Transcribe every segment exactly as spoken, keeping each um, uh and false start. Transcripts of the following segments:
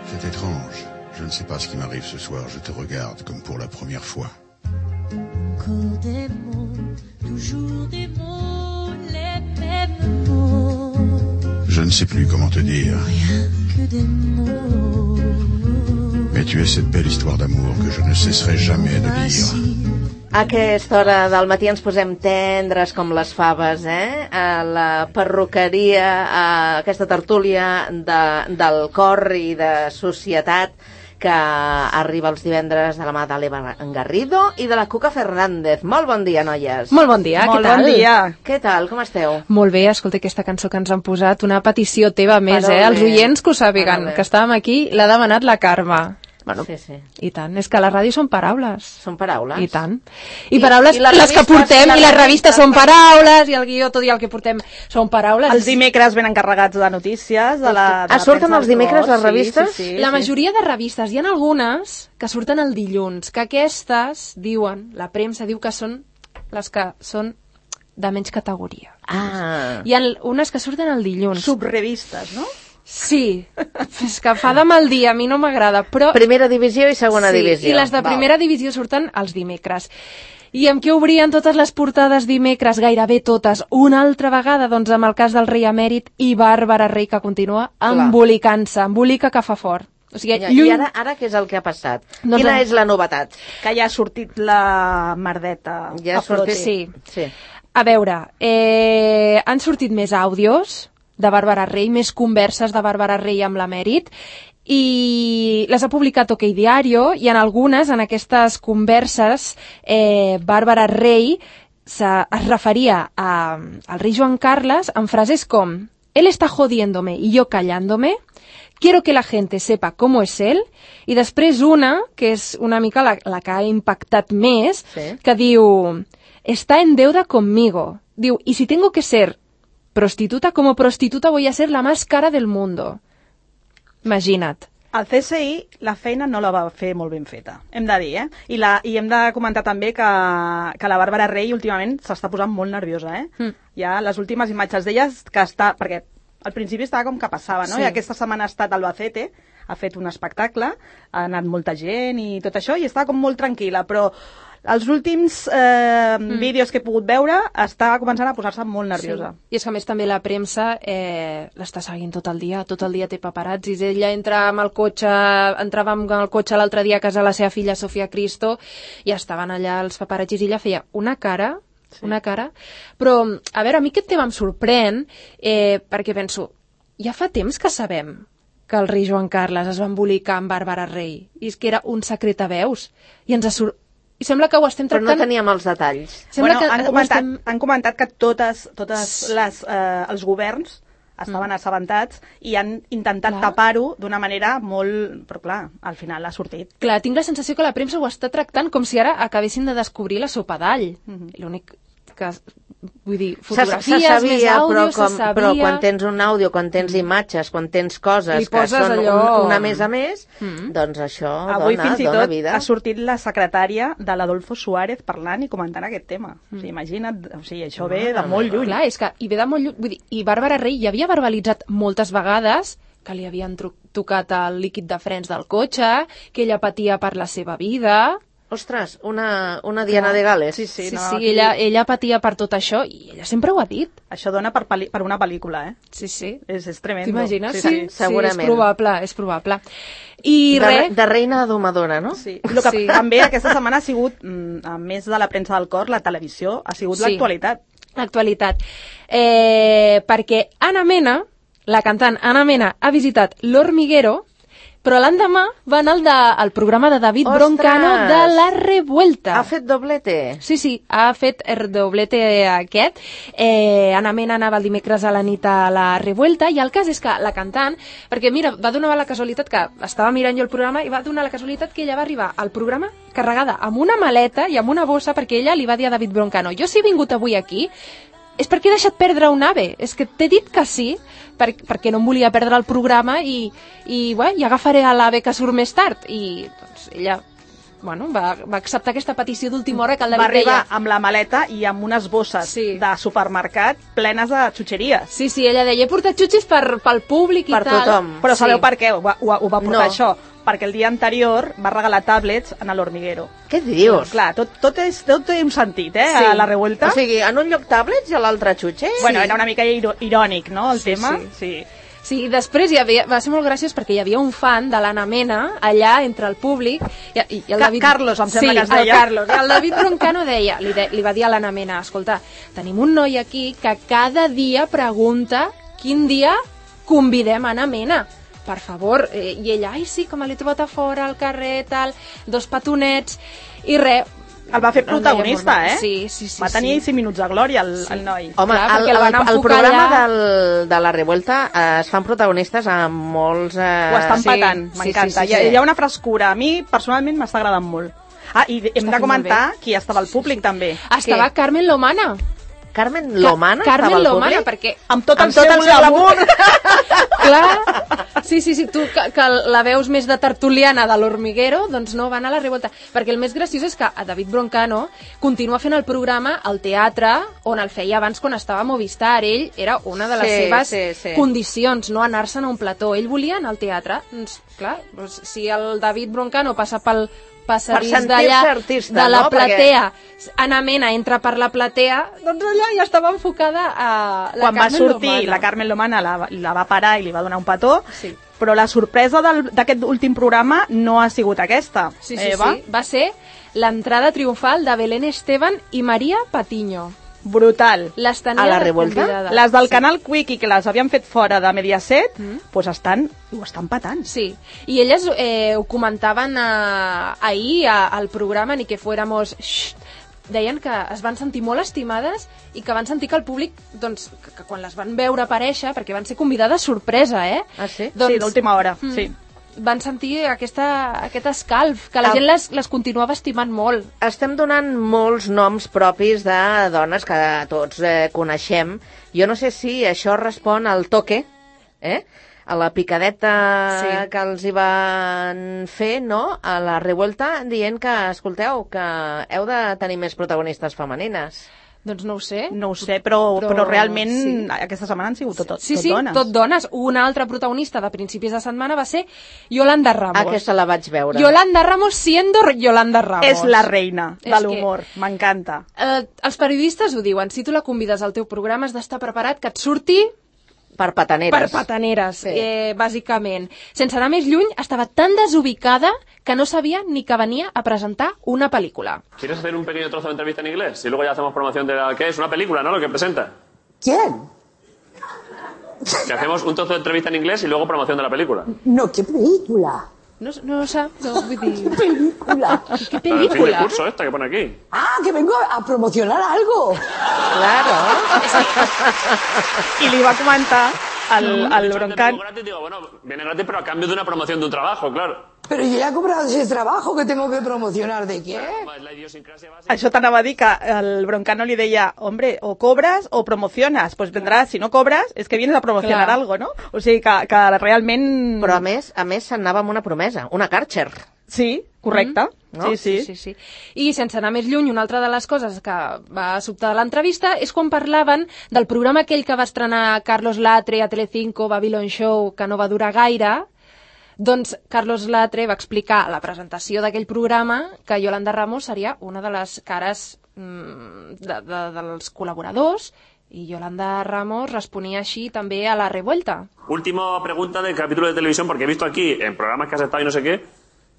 C'est étrange. Je ne sais pas ce qui m'arrive ce soir. Je te regarde comme pour la première fois. Encore des mots, toujours des mots, les mêmes mots. Je ne sais plus comment te dire. Rien que des mots. Mais tu es cette belle histoire d'amour que je ne cesserai jamais de lire. A aquesta hora del matí ens posem tendres com les faves, eh? A la perruqueria, a aquesta tertúlia de, del cor i de societat que arriba els divendres de la mà de l'Eva Garrido i de la Cuca Fernández. Molt bon dia, noies. Molt bon dia, Molt què tal? bon dia. Què tal, com esteu? Molt bé, escolta, aquesta cançó que ens han posat, una petició teva més, Parole. eh? Els oients que ho sàpiguen, Parole. que estàvem aquí, l'ha demanat la Carme. Bueno, Sí, sí. i tant, és que la ràdio són paraules. Són paraules. I tant. I, I- paraules, i les les que revistes, portem, les i les revistes revistes, són per- paraules, i el guió, tot i el que portem són paraules. Els dimecres venen carregats de notícies. De la, de Ah, la surten premsa els del dimecres cos, les revistes? Sí, sí, La sí. majoria de revistes, hi ha algunes que surten el dilluns, que aquestes diuen, la premsa diu que són les que són de menys categoria. Ah, Hi ha unes que surten el dilluns. Subrevistes, no? Sí, és que fa de mal dia, a mi no m'agrada, però... primera divisió i segona sí, divisió. i les de Val. primera divisió surten els dimecres. I amb què obrien totes les portades dimecres, gairebé totes, una altra vegada, doncs amb el cas del rei emèrit i Bàrbara Rei, que continua embolicant-se, embolica que fa fort. O sigui, Ja, lluny... I ara, ara què és el que ha passat? Doncs Quina la- és la novetat? Que ja ha sortit la merdeta Ja ha a flote. sortit- Sí. Sí. A veure, eh, han sortit més àudios de Bàrbara Rei, més converses de Bàrbara Rei amb l'emèrit, i les ha publicat OK Diario, i en algunes, en aquestes converses, eh, Bàrbara Rei se, es referia a, al rei Joan Carles en frases com: él está jodiéndome y yo callándome, quiero que la gente sepa cómo es él, i després una, que és una mica la, la que ha impactat més, Sí. que diu: está en deuda conmigo. Diu, y si tengo que ser prostituta, como prostituta voy a ser la más cara del mundo. Imagina't. El C S I la feina no la va fer molt ben feta, hem de dir, eh? I, la, i hem de comentar també que, que la Bàrbara Rei últimament s'està posant molt nerviosa, eh? Mm. Ja les últimes imatges d'ella que està... Perquè al principi estava com que passava, no? Sí. I aquesta setmana ha estat a Albacete, ha fet un espectacle, ha anat molta gent i tot això, i està com molt tranquil·la, però els últims eh, mm. vídeos que he pogut veure està començant a posar-se molt nerviosa. Sí. I és que a més també la premsa eh, l'està seguint tot el dia, tot el dia té paparazzis. Ella entra amb el cotxe, entrava amb el cotxe l'altre dia a casa de la seva filla Sofia Cristo i estaven allà els paparazzis i ella feia una cara, sí. una cara. Però, a veure, a mi aquest tema em sorprèn eh, perquè penso, ja fa temps que sabem que el rei Joan Carles es va embolicar amb Bàrbara Rei i és que era un secret a veus i ens ha sor... I sembla que ho estem Però tractant... no teníem els detalls. Sembla Bueno, que han, ho comentat, estem... han comentat que totes, totes les, eh, els governs estaven mm. assabentats i han intentat Clar. tapar-ho d'una manera molt... Però clar, al final ha sortit. Clar, tinc la sensació que la premsa ho està tractant com si ara acabessin de descobrir la sopa d'all. Mhm. L'únic que... Vull dir, Se, fotografies, se sabia, més àudio, però, com, se sabia... però quan tens un àudio, quan tens imatges, quan tens coses Li que poses són allò... un, una més a més, Mm. doncs això Avui dona, fins i dona tot vida. ha sortit la secretària de l'Adolfo Suárez parlant i comentant aquest tema. Mm. O sigui, imagina't, o sigui, això ve de molt lluny. Clar, és que i ve de molt lluny. Vull dir, i Bàrbara Rei ja havia verbalitzat moltes vegades que li havien tru- tocat el líquid de frens del cotxe, que ella patia per la seva vida... Ostres, una, una Diana de Gales. Sí, Sí, sí, sí, no, sí aquí- ella, ella patia per tot això i ella sempre ho ha dit. Això dona per, peli- per una pel·lícula, eh? Sí, sí. És, és tremendo. T'imagines? Sí, Sí, sí. sí, segurament. és probable, és probable. I de, res... de reina domadora, no? Sí. El que Sí. també aquesta setmana ha sigut, mm, a més de la premsa del cor, la televisió, ha sigut Sí. l'actualitat. L'actualitat. Eh, perquè Ana Mena, la cantant Ana Mena, ha visitat l'Hormiguero, però l'endemà va anar al, de, al programa de David Ostres! Broncano de La Revuelta. Ha fet doblete. Sí, sí, ha fet el doblete aquest. Eh, Ana Mena anava el dimecres a la nit a La Revuelta i el cas és que la cantant, perquè mira, va donar la casualitat que estava mirant jo el programa i va donar la casualitat que ella va arribar al programa carregada amb una maleta i amb una bossa perquè ella li va dir a David Broncano: jo si he vingut avui aquí és perquè he deixat perdre un ave, és que t'he dit que sí, per, perquè no em volia perdre el programa i, i, bé, i agafaré a l'ave que surt més tard. I doncs ella bueno, va, va acceptar aquesta petició d'última hora que el Va David arribar deia... amb la maleta i amb unes bosses Sí. de supermercat plenes de xutxeries. Sí, sí, ella deia, he portat xutxis per, pel públic i Per tal. tothom. Però sabeu Sí. per què ho va, ho, va- ho va portar No. això? Perquè el dia anterior va regalar tablets en l'Hormiguero. Què dius? Clar, tot, tot, és, tot té un sentit, eh, Sí. a la revuelta. O sigui, en un lloc tablets i a l'altre xutxes? Bueno, era una mica iro irònic, no, el Sí, tema? sí. Sí. Sí, i després hi havia, va ser molt graciós perquè hi havia un fan de l'Anna Mena allà entre el públic i, i, i el Ca- David... Carlos, em sembla sí, que es deia. el Carlos. I el David Broncano deia, li, de, li va dir a l'Anna Mena, escolta, tenim un noi aquí que cada dia pregunta quin dia convidem a Anna Mena. Per favor, eh, i ella, ai sí, com l'he trobat a fora, al carrer, tal, dos petonets, i res. El va fer El deia protagonista, molt bé. eh? Sí, sí, sí. Va tenir sí. cinc minuts de glòria, el, el noi. Home, Clar, el, perquè el el, van el enfocar programa allà. del, de la revuelta eh, es fan protagonistes amb molts... Eh, Ho estan sí, patant, sí, m'encanta. sí, sí, Hi, ha- sí. hi ha una frescura. A mi, personalment, m'està agradant molt. Ah, i hem fent de molt comentar qui estava al públic, també. Estava Carmen Lomana. Carmen Lomana Ca Carmen estava al Lomana, públic? perquè... Amb tot el Amb tot seu el seu glamour. Clar, sí, sí, sí, tu que, que la veus més de tertuliana de l'Hormiguero, doncs no, van a la revolta. Perquè el més graciós és que a David Broncano continua fent el programa al teatre on el feia abans quan estava a Movistar. Ell era una de les Sí, seves sí, sí. condicions, no anar-se'n a un plató. Ell volia anar al teatre. Doncs, clar, doncs, si el David Broncano passa pel passadís sentir-se d'allà, artista, de la no? Perquè- platea, Anna Mena entra per la platea, doncs allà ja estava enfocada a la Quan va Carmen sortir, Lomana. la Carmen Lomana la, la va parar i li va donar un petó, Sí. però la sorpresa del- d'aquest últim programa no ha sigut aquesta. Sí, sí, Eva, sí. Va ser l'entrada triomfal de Belén Esteban i Maria Patiño. brutal. Les tenia A la revolta? convidades. Les del sí. canal Quickie, que les havien fet fora de Mediaset, Mm. pues estan, ho estan patant. Sí, i elles eh, ho comentaven eh, ahir a, al programa, ni que fuéramos... Xxt, deien que es van sentir molt estimades i que van sentir que el públic, doncs, que, que quan les van veure aparèixer, perquè van ser convidades sorpresa, eh? Ah, sí? Doncs, Sí, d'última hora, mm, sí. Van sentir aquesta, aquest escalf, que la El- gent les, les continuava estimant molt. Estem donant molts noms propis de dones que tots eh, coneixem. Jo no sé si això respon al toque, eh? a la picadeta Sí. que els hi van fer, no?, a la revuelta, dient que, escolteu, que heu de tenir més protagonistes femenines. Doncs no ho sé. No ho sé, però, Però però, realment sí. aquesta setmana han sigut tot, tot, Sí, tot sí, dones. tot dones. Una altra protagonista de principis de setmana va ser Yolanda Ramos. Aquesta la vaig veure. Yolanda Ramos siendo Yolanda Ramos. És la reina És de que- l'humor, m'encanta. Eh, els periodistes ho diuen, si tu la convides al teu programa has d'estar preparat que et surti Per pataneres. per pataneres, Sí. eh, bàsicament. Sense anar més lluny, estava tan desubicada que no sabia ni que venia a presentar una pel·lícula. ¿Quieres hacer un pequeño trozo de entrevista en inglés? Y luego ya hacemos promoción de la... ¿Qué es? Una película, ¿no? Lo que presenta. ¿Quién? Que hacemos un trozo de entrevista en inglés y luego promoción de la película. No, ¿qué película? No, no sap, no, vull dir... ¿Película? Què La del fin de pel·lícula? curso esta que pone aquí. Ah, que vengo a promocionar algo. Claro. I li va comentar al, He al dicho antes, Broncano. vengo gratis, digo, bueno, viene gratis pero a cambio de una promoción de un trabajo, claro. Pero yo ya he cobrado ese trabajo que tengo que promocionar. ¿De qué? Es la idiosincrasia básica. Això t'anava a dir que el Broncano li deia, hombre, o cobras o promocionas. Pues vendrás, si no cobras, es que vienes a promocionar Clar. algo, no? O sigui que, que realment... Però a més, a més s'anava amb una promesa, una Karcher. Sí, correcte. Mm, no? Sí, sí. Sí, sí. I sense anar més lluny, una altra de les coses que va sobtar de l'entrevista és quan parlaven del programa aquell que va estrenar Carlos Latre a Telecinco, Babylon Show, que no va durar gaire. Doncs Carlos Latre va explicar a la presentació d'aquell programa que Yolanda Ramos seria una de les cares mm, de, de, dels col·laboradors i Yolanda Ramos responia així també a la revuelta. Última pregunta del capítulo de televisión, porque he visto aquí en programas que has estado y no sé qué.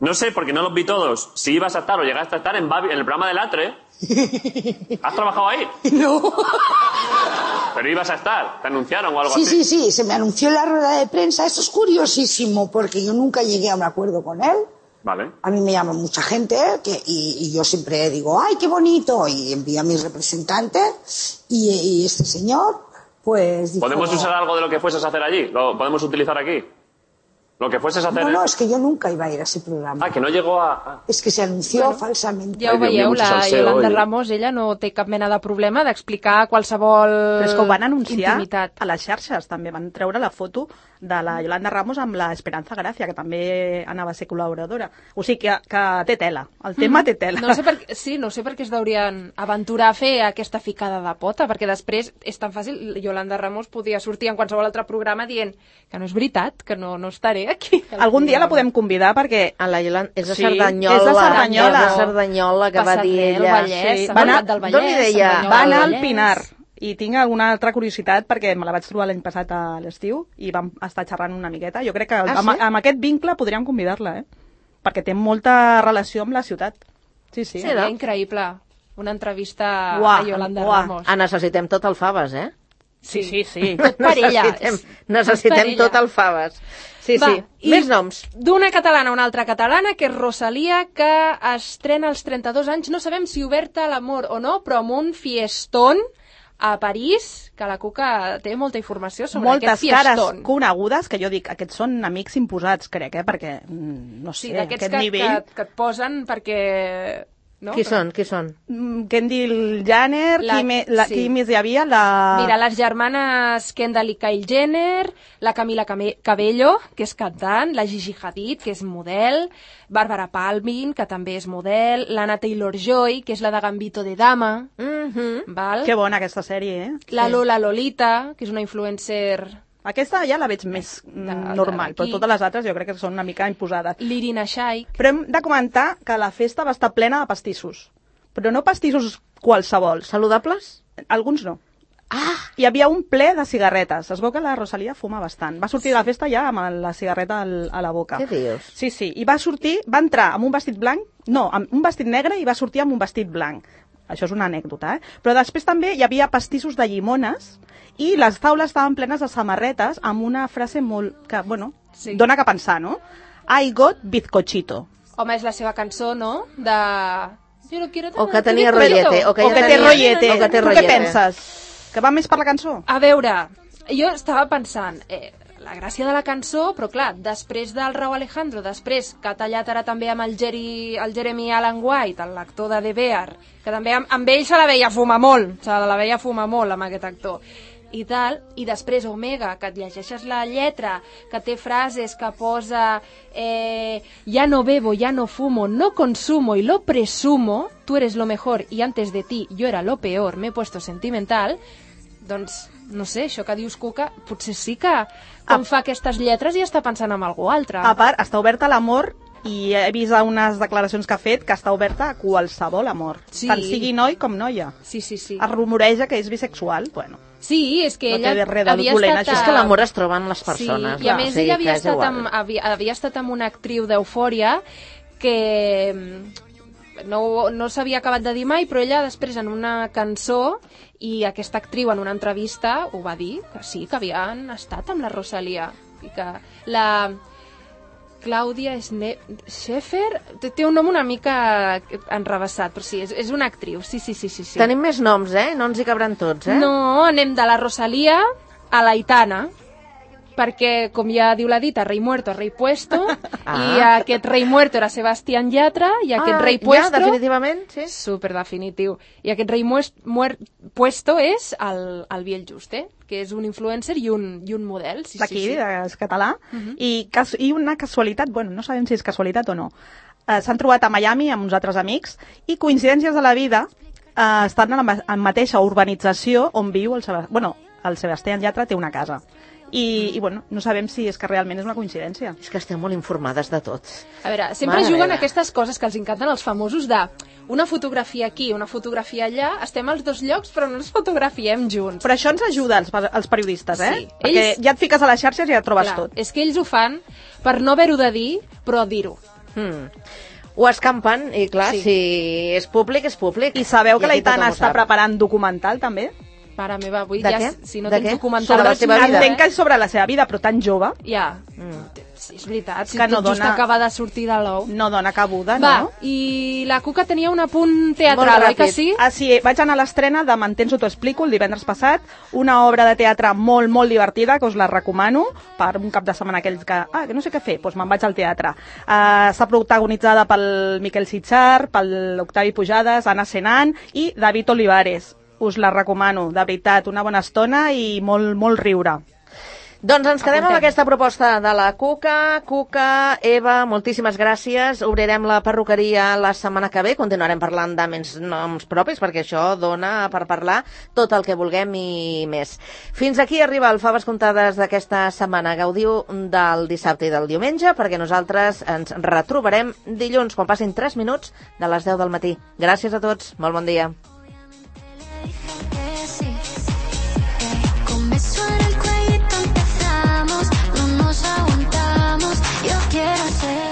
No sé, porque no los vi todos, si ibas a estar o llegaste a estar en, Babi- en el programa de Latre. ¿Has trabajado ahí? No. Pero ibas a estar, te anunciaron o algo Sí, así. sí, sí, se me anunció en la rueda de prensa. Esto es curiosísimo porque yo nunca llegué a un acuerdo con él. Vale. A mí me llama mucha gente que, y, y yo siempre digo, ¡ay, qué bonito! Y envío a mis representantes y, y este señor, pues... dijo, ¿Podemos usar algo de lo que fueses a hacer allí? ¿Lo podemos utilizar aquí? Lo que fueses a hacer... No, en- no, es que yo nunca iba a ir a ese programa. Ah, que no llegó a... ah. Es que se anunció falsamente. Ja ho Ai, Déu meu, veieu, mucho la salseo Yolanda hoy. Ramos, ella no té cap mena de problema d'explicar qualsevol Però és que ho van anunciar intimitat. a les xarxes, també. Van treure la foto de la Yolanda Ramos amb la Esperanza Gracia, que també anava a ser col·laboradora. O sigui que, que té tela, el tema mm. té tela. No sé per, sí, no sé per què es deurien aventurar a fer aquesta ficada de pota, perquè després és tan fàcil, Yolanda Ramos podia sortir en qualsevol altre programa dient que no és veritat, que no, no estaré aquí. Algun dia la podem convidar perquè... A la Yolanda, és de sí, Cerdanyola. És de Cerdanyola. És de Cerdanyola, que va dir ella. Vallès, sí. va anar, del Vallès, d'on li deia? Va anar al Pinar. I tinc alguna altra curiositat perquè me la vaig trobar l'any passat a l'estiu i vam estar xerrant una miqueta. Jo crec que ah, amb, sí? amb aquest vincle podríem convidar-la, eh? Perquè té molta relació amb la ciutat. Sí, sí. Seria increïble. Una entrevista uah, a Yolanda uah. Ramos. Ah, necessitem tot el Faves, eh? Sí, sí, sí. Tot per ella. Necessitem, necessitem tot, tot el Faves. Sí, Va, sí. Més noms. D'una catalana a una altra catalana, que és Rosalía, que estrena als trenta-dos anys. No sabem si oberta a l'amor o no, però amb un fiestón a París, que la Cuca té molta informació sobre moltes aquest fiestón. cares conegudes, que jo dic, aquests són amics imposats, crec, eh? Perquè, no sé, sí, d'aquests aquest que, nivell... que, que et posen perquè... No? Qui són? Qui són? Kendall Jenner, La- qui, me, la, sí. qui més hi havia? La... Mira, les germanes Kendall i Kylie Jenner, la Camila Came- Cabello, que és cantant, la Gigi Hadid, que és model, Barbara Palvin, que també és model, l'Anna Taylor-Joy, que és la de Gambito de Dama, Mm-hmm. val? Que bona aquesta sèrie, eh? La Lola Lolita, que és una influencer... Aquesta ja la veig més mm, De- normal, d'aquí. però totes les altres jo crec que són una mica imposades. l'Irina Shayk. Però hem de comentar que la festa va estar plena de pastissos. Però no pastissos qualsevols. Saludables? Alguns no. Ah! Hi havia un ple de cigarretes. Es veu que la Rosalía fuma bastant. Va sortir de la festa ja amb la cigarreta al, a la boca. Què dius? Sí, sí. I va sortir, va entrar amb un vestit blanc, no, amb un vestit negre i va sortir amb un vestit blanc. Això és una anècdota, eh? Però després també hi havia pastissos de llimones i les taules estaven plenes de samarretes amb una frase molt... que, bueno, Sí. dona que pensar, no? I got bizcochito. Home, és la seva cançó, no? De... Jo no quiero O que tener tenia bizcocho. rollete, o que O ja que té tenia- rollete. o que té Tu què rollete. penses? Que va més per la cançó? A veure, jo estava pensant, eh, la gràcia de la cançó, però clar, després del Rau Alejandro, després que ha tallat ara també amb el, Jerry, el Jeremy Allen White, l'actor de The Bear, que també amb, amb ell se la veia fumar molt, se la veia fumar molt amb aquest actor, i tal, i després Omega, que et llegeixes la lletra, que té frases que posa eh, ya no bebo, ya no fumo, no consumo y lo presumo, tú eres lo mejor y antes de ti yo era lo peor, me he puesto sentimental, doncs, no sé, això que dius, Cuca, potser sí que quan Ah. fa aquestes lletres ja està pensant en algú altre. A part, està oberta a l'amor i he vist unes declaracions que ha fet que està oberta a qualsevol amor. Sí. Tant sigui noi com noia. Sí, sí, sí. Es rumoreja que és bisexual, bueno. Sí, és que No ella té res de havia dolent, estat... això. És a- que l'amor es troba en les persones. Sí, i a va, més o sigui ella havia que és estat, igual. amb, havia, havia estat amb una actriu d'Eufòria que mm, no, no s'havia acabat de dir mai, però ella després en una cançó i aquesta actriu en una entrevista ho va dir, que sí, que havien estat amb la Rosalía i que la Clàudia Sne- Schäfer té, té un nom una mica enrevessat, però sí, és, és una actriu, sí, sí, sí, sí, sí. Tenim més noms, eh? No ens hi cabran tots, eh? No, anem de la Rosalía a la Aitana, perquè, com ja diu la dita, rei muerto, rei puesto, Ah. i aquest rei muerto era Sebastián Yatra, i aquest ah, rei puesto... Ja, definitivament, sí. Super definitiu. I aquest rei muest, muer, puesto és el, el Biel Juste, que és un influencer i un, i un model. Sí, D'aquí, sí, sí. és català. Uh -huh. I, cas, I una casualitat, bueno, no sabem si és casualitat o no. Eh, S'han trobat a Miami amb uns altres amics i coincidències de la vida eh, estan en la ma- en mateixa urbanització on viu el Sebastián. Bueno, el Sebastián Yatra té una casa. I, i bueno, no sabem si és que realment és una coincidència. És que esteu molt informades de tot. A veure, sempre Mare juguen meva. aquestes coses que els encanten als famosos de una fotografia aquí, una fotografia allà, estem als dos llocs però no ens fotografiem junts. Però això ens ajuda als, als periodistes, eh? Sí. Perquè Ells- ja et fiques a les xarxes i ja trobes Clar, tot. és que ells ho fan per no haver-ho de dir, però dir-ho. Hmm. Ho escampen, i clar, Sí. si és públic, és públic. I sabeu que I la aquí tothom Aitana ho està sap. preparant documental, també? Mare meva, avui De ja, què? si no De tens què? documental... Sobre la vaig seva mirar, vida? Entenc que eh? és sobre la seva vida, però tan jove, Ja, Mm. sí, és veritat, si Que no tot just dona- acaba de sortir de l'ou. no dona cabuda, Va, no? i la Cuca tenia un apunt teatral, Molt oi que ràpid. sí? Ah, sí, vaig anar a l'estrena de M'entens o t'ho explico el divendres passat, una obra de teatre molt, molt divertida, que us la recomano, per un cap de setmana aquells que, ah, que no sé què fer, doncs me'n vaig al teatre. Uh, està protagonitzada pel Miquel Sitjar, pel Octavi Pujades, Anna Senan i David Olivares. Us la recomano, de veritat, una bona estona i molt, molt riure. Doncs ens quedem Apuntem. amb aquesta proposta de la Cuca. Cuca, Eva, moltíssimes gràcies. Obrirem la perruqueria la setmana que ve. Continuarem parlant de més noms propis, perquè això dona per parlar tot el que vulguem i més. Fins aquí arriba el Faves Comptades d'aquesta setmana. Gaudiu del dissabte i del diumenge, perquè nosaltres ens retrobarem dilluns, quan passin tres minuts de les deu del matí. Gràcies a tots. Molt bon dia. Suena el cuellito, empezamos, no nos aguantamos. Yo quiero ser